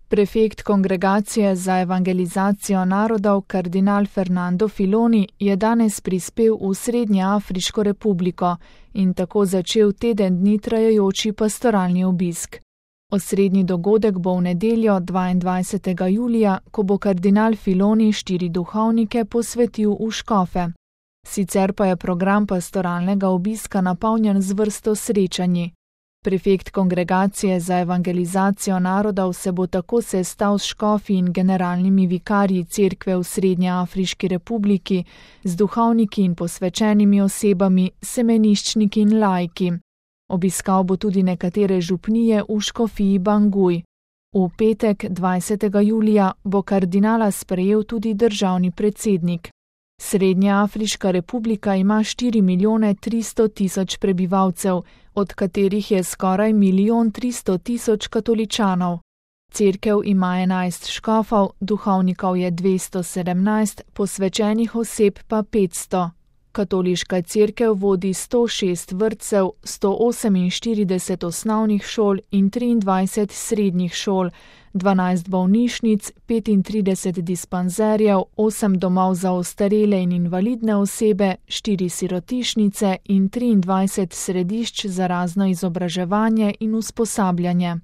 Prefekt Kongregacije za evangelizacijo narodov kardinal Fernando Filoni je danes prispel v Srednjeafriško republiko in tako začel teden dni trajajoči pastoralni obisk. Osrednji dogodek bo v nedeljo 22. julija, ko bo kardinal Filoni 4 duhovnike posvetil v škofe. Sicer pa je program pastoralnega obiska napolnjen z vrsto srečanji. Prefekt Kongregacije za evangelizacijo narodov se bo tako sestal s škofi in generalnimi vikarji cerkve v Srednjeafriški republiki, z duhovniki in posvečenimi osebami, semeniščniki in laiki. Obiskal bo tudi nekatere župnije v škofiji Banguj. V petek 20. julija bo kardinala sprejel tudi državni predsednik. Srednjeafriška republika ima 4.300.000 prebivalcev, od katerih je skoraj 1.300.000 katoličanov. Cerkev ima 11 škofov, duhovnikov je 217, posvečenih oseb pa 500. Katoliška cerkev vodi 106 vrtcev, 148 osnovnih šol in 23 srednjih šol, 12 bolnišnic, 35 dispanzerjev, 8 domov za ostarele in invalidne osebe, 4 sirotišnice in 23 središč za razno izobraževanje in usposabljanje.